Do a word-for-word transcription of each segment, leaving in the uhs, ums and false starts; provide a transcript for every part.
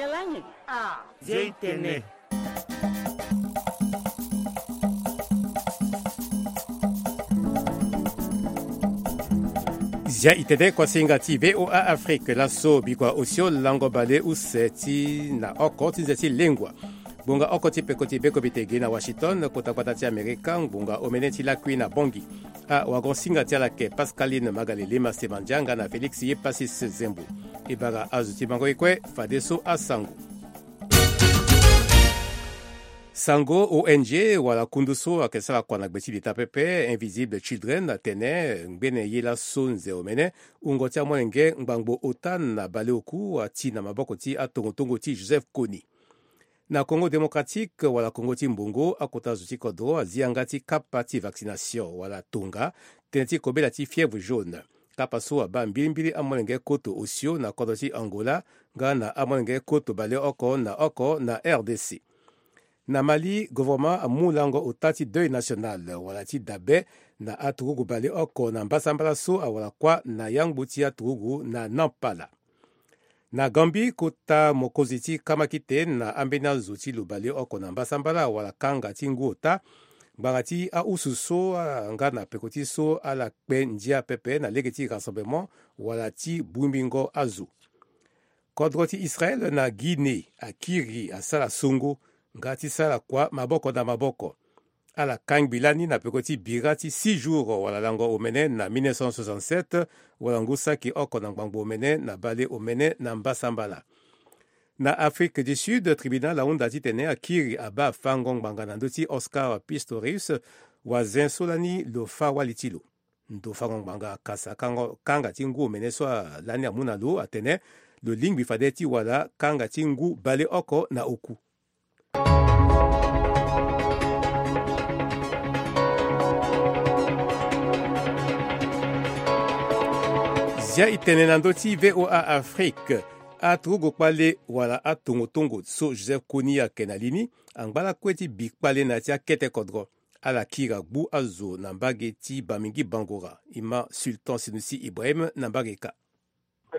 Zia itene. Zia itene kuasinga ti VOA Afrique. Laso bikua osio lango bale use ti na oko ti nze ti lengua. Ngbonga oko ti peko ti beko bitege na Washington, kota gbata ti Amerika, ngbonga omene ti lakui na Bangui. Awagon-singa ti ala yeke Pascaline Magalele Masemandia nga na Félix Yepasis Zembo. E bara azo ti mango ye kue fadeso asango. Sango O N G wala kundu so ayeke sara kua na gbe ti leta pepe, Invisible Children, atene ngbene ye laso nze omene, wungo ti amolenge ngbangbo ota na baleoku ati na maboko ti atongotongo ti Joseph Kony. Na Congo Démocratique wala Congo ti Mbongo, akota zo ti kodro azi yanga ti kapa ti vaccination wala tonga tënë ti kobela ti fièvre jaune. Kapa so abaa mbilimbili amolenge koto osio na kodro ti Angola nga na amolenge koto baleoko na oko na R D C. Na Mali, gouvernement amu lango ota ti deuil national wala ti dabe na aturugu baleoko na mbasambala so awara kuâ na yangbu ti aturugu na Nampala. Na Gambie, kota mokonzi ti kamakite na ambeni azo ti lo baleoko na mbasambala awara kanga ti ngu ota ngbanga ti ausu so, ah, nga na peko ti so ala kpe ndia pepe na lege ti rassemblement wala ti bongbingo azo. Kodro ti Israël na Guinée akiri asara songo nga ti sara kua maboko na maboko. Ala kangbi lani na peko ti bira ti six jours wala lango omene na mille neuf cent soixante-sept, wala ngu saki oko na ngbangbo omene na bale omene na mbasambala. Na Afrique du Sud, tribunal ahunda titene akiri abaa fango ngbanga na ndö ti Oscar Pistorius, wazen so lani lo fâ wali ti lo. Ndo fango ngbanga kasa kango, kanga ti ngu omene so a, lani amu na lo atene lo lingbi fade ti wara kanga ti ngu baleoko na oku. Zia itene na ndö ti VOA Afrique. Aturugu kpale wala atongotongo so Joseph Kony ayeke na li ni angba lakue ti bi kpale na ya ti akete kodro. Ala kiri agbu azo na mbage ti Bamingui Bangoura. E ma Sultan Senoussi Ibrahim na mbage ka.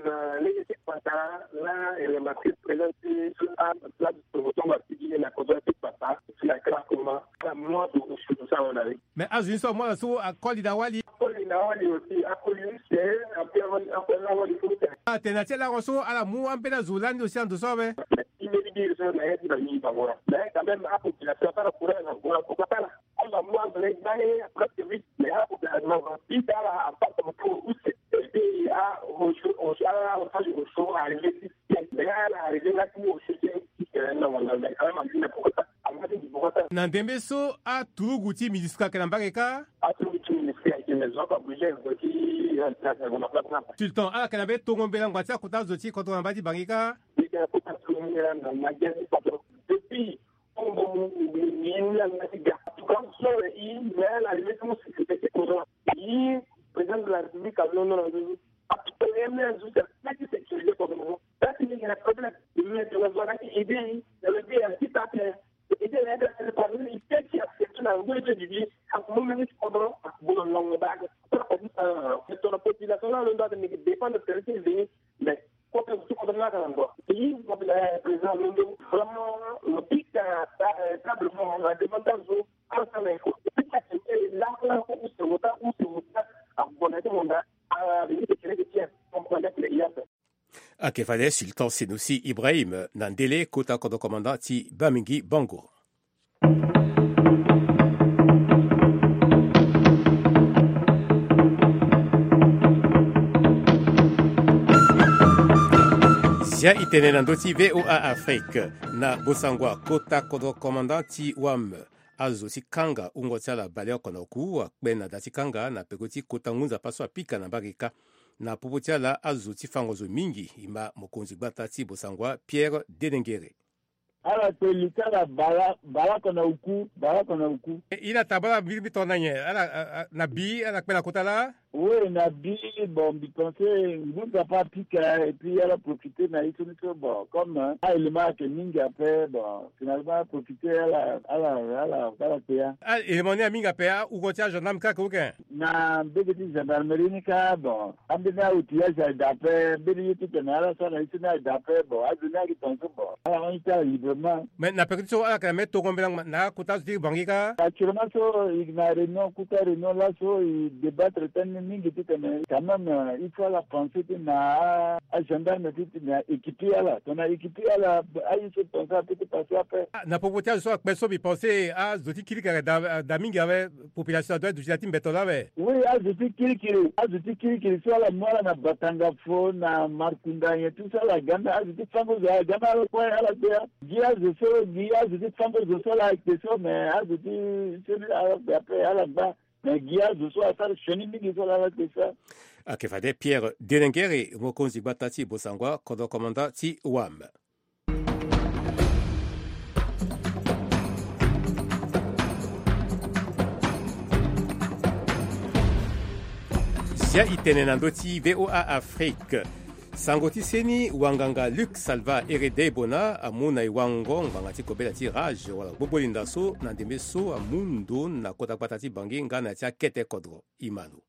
Na lege ti kpata la, e lamba ti président ti atongotongo asigili na kodro ti kpata ti na kala koma ala mu azo osu ti asango na li. Mais azo ni so amu ala so akoli na wali. Akoli na wali aussi, akoli use, akoli na wali use. Atene na ti lango so ala mu ambeni azo lani aussi na ndo so awe. Ti mbeni biri so na ya ti Bamingui Bangoura. Mais quand même apopulation asara courage na Bangoura, pourquoi pas? Ala mu azo na e gbale presque huit. Mais apopulation na pita ala apasa moto use. Et puis a oso, oso ala oso, oso arrivé ti mais ala arrivé na ti oso ti na wala mais quand même a pourquoi pas? Na ndembe so aturugu ti MINUSCA ayeke na mbage kâ. Aturugu ti MINUSCA ayeke na zo aka bouger ti na place na. Sultan, ala yeke na mbeni tongo mbela ngba ti akota zo ti kodro na mbage ti Bangui kâ. Eke na kota tongo mbela na mbage ti kodro. Depuis tongo mbela ngba ti ga. Aturugu so e mais ala arrivé ti mu sécurité ti kodro. E président de la République alondo na zo. Aturugu e mais zo ti sécurité kodro. That's not a problem. Mais tu vas voir qu'il aide, il aide un petit peu. Ete na ete na ete parmi les têtes qui acceptent na ngoi ti bibi akumomeni ti kodro akubolo longo bage. Tona population na londo ate meke dépendre de tere ti veni. Mais kota ti kodro na aka na ngoi. Ti président londo vraiment lo pika table mo na demande azo ala sala eko. Pika tete la ko use wota use wota akubona ti monda. Ah, veni ke kere ke tiens. Comprendre que il y a Ake fade Sultan Senoussi Ibrahim na ndele kota kodro commandant ti Bamingui Bangoura. Zia itene na ndö ti VOA Afrique. Na bosangwa kota kodro commandant ti Wam. Azo ti kanga wungo ti ala baleoko na oku akpe na da ti kanga na peko ti kota ngu nzapa so apika na mbage kâ. Na popo ti ala azo ti fango zo mingi e ma mokonzi gbata ti bosangwa Pierre Denengere. Ala kpe li ti ala bale, bale oko na oku, bale oko na oku. E, ila tabala mbi, mbi tongana nyen? Ala, a, a, na bi, ala kpe na kota laa? Oui, na bi, bon, mbi pense ngu nzapa apika, et puis ala profite na ye so ni so, bon, comme, hein, a-élément ayeke mingi ape, bon, finalement ala profite, ala, ala, ala, ala kpe ya. A-élément ni amingi ape, a-uko ti agendarme kâ ayeke oke? Na mbege ti gendarmerie ni kâ, bon, ambeni a-outillage ayeke daa ape, mbeni ye titene ala sara na ye so ni ayeke daa ape, bon, azo ni ayeke tongaso, bon, ala hon ye ti ala librement. Mais na peko ti so ala yeke na mbeni tongo mbela ngba na akota azo ti Bangui kâ? Actuellement so e yeke na réunion, kota réunion laso e débattre tënë ni mingi titene quand même, euh, il faut ala pense ti na a, agendarme ti titene a équiper ala. Tongana équiper ala, aye so tongaso apeut ti passer ape. Ah, na popo ti azo so akpe so mbi pense azo ti kirikiri ayeke daa, daa mingi awe. Population adoit aduti na ya ti mbeto laa awe. Oui, azo ti kirikiri, azo ti kirikiri so ala mu ala na Batanga Fo, na Markunda, nyen ti so ala ga nda, azo ti fango zo ala ga nda ala kue ala kpe ya. Gi azo so, gi azo ti fango zo so ala kpe so, mais azo ti so ni ala kpe ape ala gba. Mais gi azo so asara sioni mingi so ala kpe so. Ayeke fade Pierre Denengere, mokonzi gbata ti Bossangoa, kodro commandant ti WAM. Zia e tene na ndö ti V O A Afrique. Sango ti seni wanganga Luc Salva Eredei Bona amu na e wango ngbanga ti kobela ti rage wala gbogbolinda so na ndembe so amu ndo na kota gbata ti Bangui nga na ya ti akete kodro. E ma lo.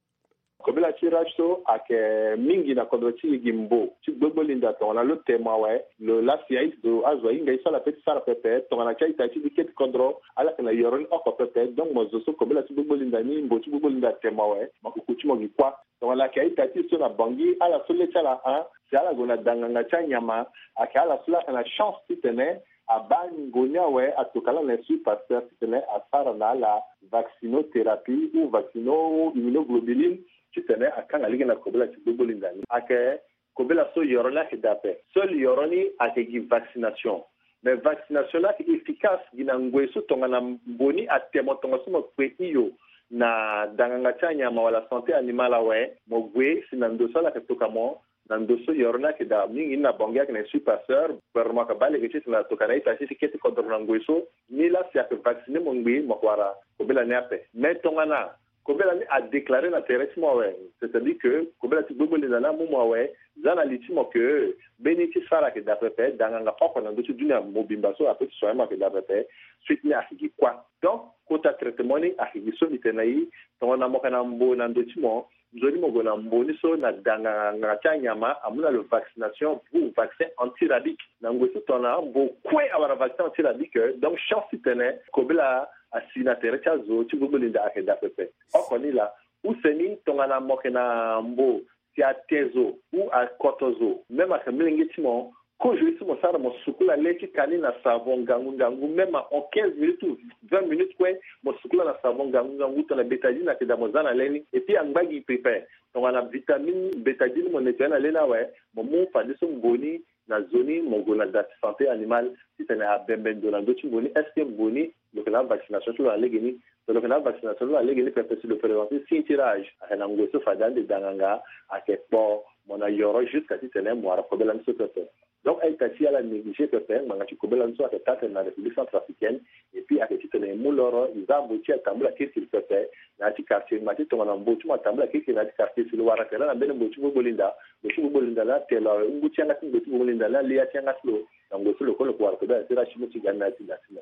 Kobela ti rage so ayeke mingi na kodro ti e gi mbo ti gbogbolinda tongana lo temo awe, lo lasi azo, azo ahinga ye so ala pe ti sara pepe tongana ti a-ita ti diketi kodro, ala yeke na yoro ni oko pepe. Donc mo zo so kobela ti gbogbolinda ni, mbo ti gbogbolinda atemo awe, mo kuku ti mo gi kuâ. Tongana ayeke a-ita ti e so na Bangui, ala so le ti ala hon, si ala gue na danganga ti anyama, ayeke ala so la ayeke na chance titene abaa ngu ni awe, atoka laa na Institut Pasteur titene asara na ala vaccinothérapie ou vaccino immunoglobuline titene akanga lege na kobela ti gbogbolinda ni. Ayeke kobela so yoro ni ayeke daa ape. Seul yoro ni ayeke gi vaccination. Mais vaccination ni ayeke efficace gi na ngoi so tongana mbo ni atemo tongaso mo kpe hio na danganga ti anyama wala santé animale awe, mo gue si na ndo so ala yeke toka mo, na ndo so yoro ni ayeke daa mingi ni na Bangui ayeke na Institut Pasteur, gouvernement ayeke baa lege titene atoka na a-ita ti ti kete kodro na ngoi so, ni laa si ayeke vacciner mo ngbii mo yeke wara kobela ni ape. Mais tongana kobela ni adéclarer na tere ti mo awe, c'est-à-dire que kobela ti gbogbolinda ni amu mo awe, za na li ti mo que mbeni ye ti sara ayeke daa pepe, danganga oko na ndö ti dunia mobimba so apeut ti soigner mo ayeke daa pepe, suite ni ayeke gi kuâ. Donc kota traitement ni ayeke gi so mbi tene na e, tongana mo yeke na mbo na ndö ti mo, nzoni mo gue na mbo ni so na danganga ti anyama amu na lo vaccination ou vaccin antirabique. Na ngoi so tongana mbo kue awara vaccin antirabique, donc chance titene kobela asi na tere ti azo ti gbogbolinda ayeke daa pepe. Oko ni laa, use ni tongana mo yeke na mbo si ate zo ou akoto zo, même ayeke molenge ti mo, kozo ye so mo sara mo sukula le ti ka ni na savon ngangu ngangu, même en quinze minutes ou vingt minutes kue, mo sukula na savon ngangu ngangu tongana bétadine ayeke daa mo za na le ni. Et puis angba gi pepe, tongana vitamine bétadine mo nettoyer na le ni awe, mo mu fadeso mbo ni na zo ni mo gue na da ti santé animale titene abembe ndo na ndö ti mbo ni. Est-ce que mbo ni lo yeke na avaccination ti lo na legeni? So lo yeke na avaccination ti lo na legeni pepe si lo présenter signe ti rage, ayeke na ngoi so fade ande danganga ayeke kpo mo na yoro jusqu'à titene mo wara kobela ni so pepe. Donc a-ita ti e ala négliger pepe ngbanga ti kobela ni so ayeke taa tene na République centrafricaine. Et puis ayeke titene e mu loro, e za mbo ti e atambula kirikiri pepe na ya ti quartier. Ngbanga ti tongana mbo ti mo atambula kirikiri na ya ti quartier, si lo wara tere na mbeni mbo ti gbogbolinda, mbo ti gbogbolinda ni ate lo awe, ngu ti yanga ti mbo ti gbogbolinda ni ali ya ti yanga ti lo. Na ngoi so lo kue lo yeke wara kobela ti rage ti mo ti ga ni na ya ti da ti mo.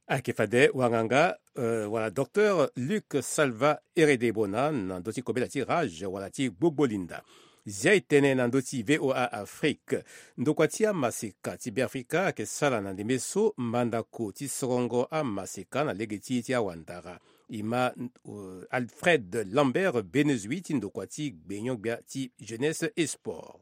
Ayeke fade wanganga, euh, wala docteur Luc Salva Eredei Bona na ndö ti kobela ti rage wala ti gbogbolinda. Zia e tene na ndö ti V O A Afrique. Ndokua ti amaseka ti Beafrika ayeke sara na ndembe so mandako ti sorongo amaseka na lege ti e ti awandara. E ma, euh, Alfred Lambert Benezui ti ndokua ti gbenyo-gbia ti Jeunesse et Sport.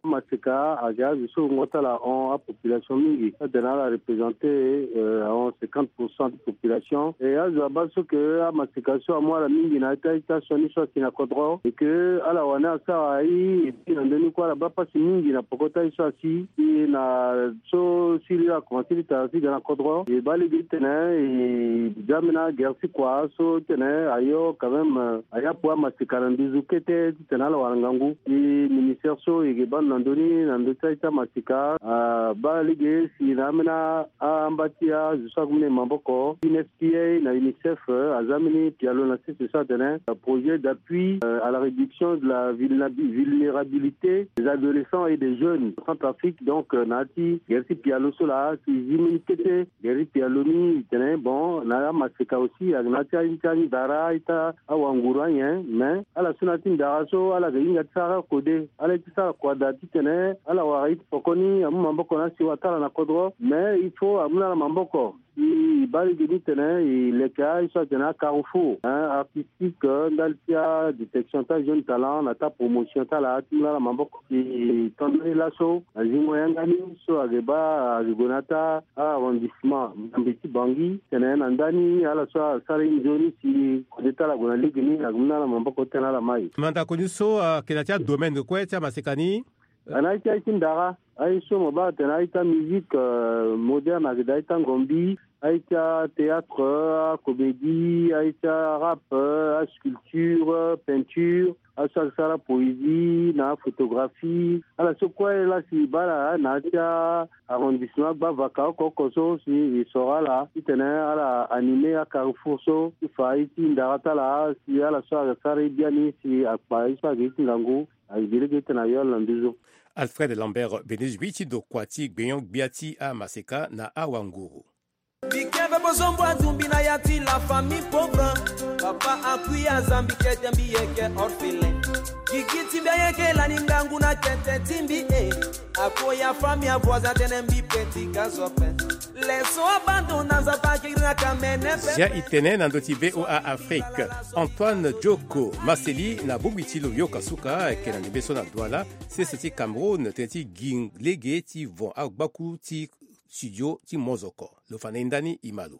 Amaseka ayeke azo so wungo ti ala ahon apopulation mingi, atene ala représenter, euh, ahon cinquante pour cent ti population. E azo abaa so ke amaseka so amu ala mingi na ya ti a-ita sioni so ayeke na kodro, et que ala wani asara aye, et puis na ndö ni kue ala baa pasi mingi na poko ti aye so asi. E na so siriri akomanse ti tara ti ga na kodro, e baa lege titene e za mbeni agere ti kua so titene ayo quand même, euh, aye apo amaseka na nduzu kete titene ala wara ngangu. E ministère so e yeke baa Na ndö ni, na ndö ti aye ti amaseka, abaa lege si na ambeni amba ti azo so ague mu na e maboko, U N F P A na UNICEF, aza mbeni pialo na sese so atene, euh, projet d'appui, euh, à la réduction de la vulnérabi-, vulnérabilité des adolescents et des jeunes en Centrafrique. Donc, euh, na ya ti gere ti pialo so laa si zi mbeni kete gere ti pialo ni, e tene bon, na amaseka aussi ayeke na ya ti a-, ti andara, a-ita, awanguru anyen, mais ala so na ya ti ndara so ala yeke hinga ti sara kode, ala ye ti sara kua daa titene ala wara ye ti poko ni amu maboko na si wa ti ala na kodro, mais il faut amu na ala maboko. Si e baa lege ni titene e leke aye so atene acarrefour, hein, artistique, euh, ndali ti adétection ti ajeune talent na ti apromotion ti ala ti mu na ala maboko. Si e to ndani laso na zingo yanga ni so ayeke baa ayeke gue na ya ti arrondissement Mbiambe ti Bangui, titene na ndani ala so asara ye nzoni si kode ti ala gue na lege ni ayeke mu na ala maboko titene ala mai. Mandako ni so ayeke na ya ti adomaine kue ti amaseka ni? Ana aye ti, aye ti ndara, aye so mo baa atene aye ti amusique, euh, moderne ayeke daa aye ti angombi, aye ti athéâtre, acomédie, aye ti arap, asculpture, peinture, aye so ayeke sara poésie na photographie. Ala so kue laa si e baa ala na ya ti arrondissement gbavaka oko oko so si e soro ala titene ala animer acarrefour so ti fa aye ti ndara ti ala si ala so ayeke sara ye biani si akpa ye so ayeke ye ti ngangu. Ayeke gi lege titene ayo ala na nduzu so. Alfred Lambert Benezui ti ndokua ti gbenyo-gbia ti amaseka na awanguru. Mbi ke mpe bozombo azumbi na ya ti la famille pauvre. Papa akui aza mbi kete mbi yeke orphelin. Gigi ti mbi ayeke lani ngangu na kete ti mbi e. Akoya famille avoisin atene mbi petit gazope. Leso abandon na nzapa akiri na kamene pepe. Zia e tene na ndö ti V O A Afrique. Antoine Joko Maseli na bongbi ti lo yoka suka ayeke na ndembe so na Douala, sese ti Cameroun, tënë ti gi lege ti von agbaku ti studio ti mozoko. Lo fa na e ndani e ma lo.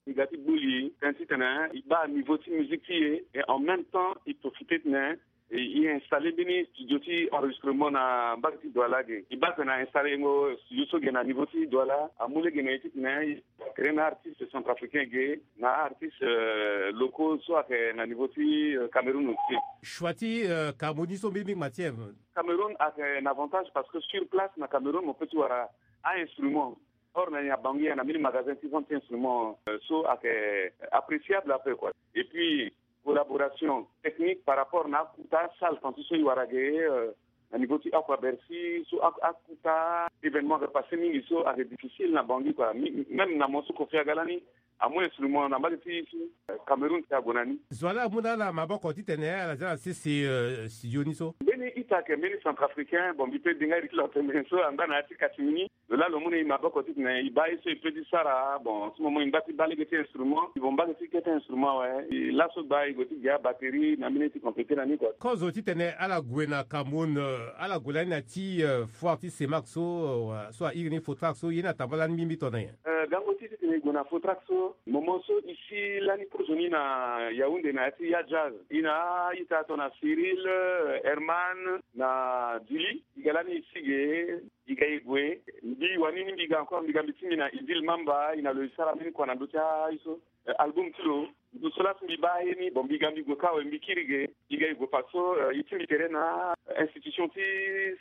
E ga ti gbuli tënë titene e baa niveau ti musique ti e, et en même temps e profite titene e, e installer mbeni studio ti enregistrement na mbage ti Douala ge. E baa titene a installer yengo studio so ge na niveau ti Douala, amu lege na e titene e créer na artiste centrafricain ge, na artiste, euh, locaux so ayeke na niveau ti, euh, Cameroun aussi. Choix ti, euh, Cameroun ni so mbeni mbeni matière. Cameroun ayeke na avantage parce que sur place na Cameroun mo peut ti wara a-instrument. Or na ni na Bangui ayeke na mbeni magasin ti vente ti instrument, euh, so ayeke appréciable un peu quoi. Et puis collaboration technique par rapport na akuta salle tanti so e wara ge, euh, na niveau ti Aqua Bercy so a, akuta événement ayeke passé mingi so ayeke difficile na Bangui quoi. Mi-, même na mo so Koffi aga lani amu instrument na mbage ti e so, euh, Cameroun si ague na ni. Zo wa laa amu na ala maboko titene ala zia na sese, euh, studio ni so. Mbeni ita ayeke mbeni centrafricain, bon mbi peut denga iri ti lo tene so angba na ya ti catimini. Lo laa lo mu na e maboko titene e baa ye so e peut ti sara. Bon, si mo mo e ngba ti baa lege ti instrument, e vont mbage ti kete instrument awe. E laso gba e gue ti ge abatterie na mbeni ye ti compléter na ni quoi. Kozo titene ala gue na Cameroun, euh, ala gue lani na ya ti, euh, foire ti CEMAC so, euh, so a iri ni Fautrac so, ye ni atambula lani mbimbi tongaso nyen? Euh, gango ti titene e gue na Fautrac so, moment so e si lani kozoni na Yaoundé na ya ti Ya Jazz, e na a-ita tongana Cyril, euh, Herman na Dili. E ga lani e si ge, e ga e gue. Mbi wani ni mbi ga encore, mbi ga mbi ti mbi na Idil Mamba, e na lo e sara mbeni kua na ndö ti aye so, euh, album ti lo. Ndo so laa si mbi baa aye ni, bon, mbi ga mbi gue kâ awe, mbi kiri ge. E ga e gue parce que, euh, e ti mbi tere na, euh, institution ti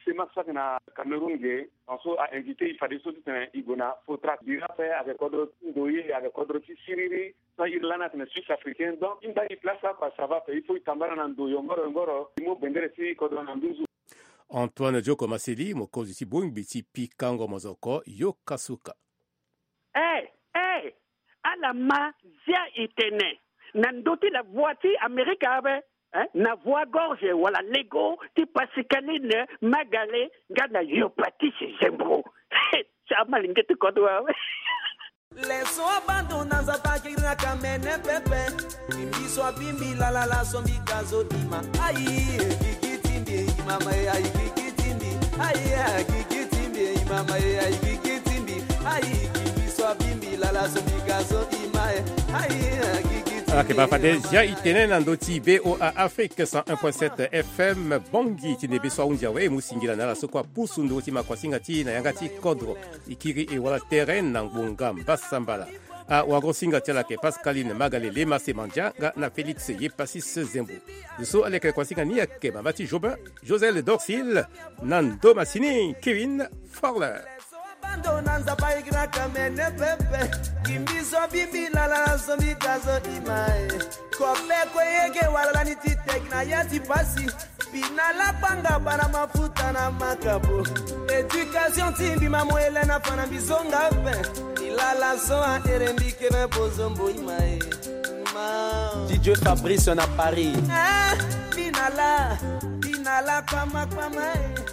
CEMAC so ayeke na Cameroun ge. Parce que a invité e fadeso titene e gue na Fautrac. Bira ape ayeke kodro ti ndoye, ayeke kodro ti siriri. So a iri lani atene Suisse africain. Donc e ngba e place laa kua, ça va ape. Il faut e tambala na ndo yongoro yongoro, e mu bendere ti kodro na nduzu. Antoine Joko Maseli, mokonzi ti bongbi ti pikango mozoko, yoka suka. Eh, eh, ala ma zia e tene na ndö ti la voix ti Amerika awe, eh, na voix gorge wala lego ti Pascaline Magale nga na Yopatise Zembro. Ti amalenge ti kodro awe. Leso abandon na nzapa akiri na kamene pepe. Mbi so abimbi lalala so mbi ka zo dima. Ayi, gigi ti mbi e, imama e, ayi, gigi ti mbi. Ayi, gigi ti mbi e, imama e, ayi, gigi ti mbi. Ayi, gigi so abimbi lala so mbi ka zo dima e. Ayi, gigi ti mbi e, imama e. Ayeke baa fade zia e tene na ndö ti V O A Afrique cent un point sept F M, Bangui, ti ndembe so ahunzi awe, e mu singila na ala so kue apusu nduru ti makuasinga ti e na yanga ti kodro. E kiri e wara tere na ngbonga mbasambala. Awagosinga ti ala ayeke Pascaline Magalele, Mase Mandianga na Félix Yepasis Zembo. Zo so aleke kuasinga ni ayeke mama ti Jobin, Josel Dorsil, na ndo masini Kevin Forler. Bando na nzapa igraka mene pepe. Kimbizo bimbi lala na zombi gazo imae. Kope ko yege wala lani ti tek na ya ti pasi. Bina la banga bana mafuta na makabo. Éducation ti mbi mamo Hélène afana mbi zonga pe. Ilala so a ere mbi kebe bozombo imae. Ma. Didier Fabrice na Paris. Ah, bina la, bina la kpama kpama e.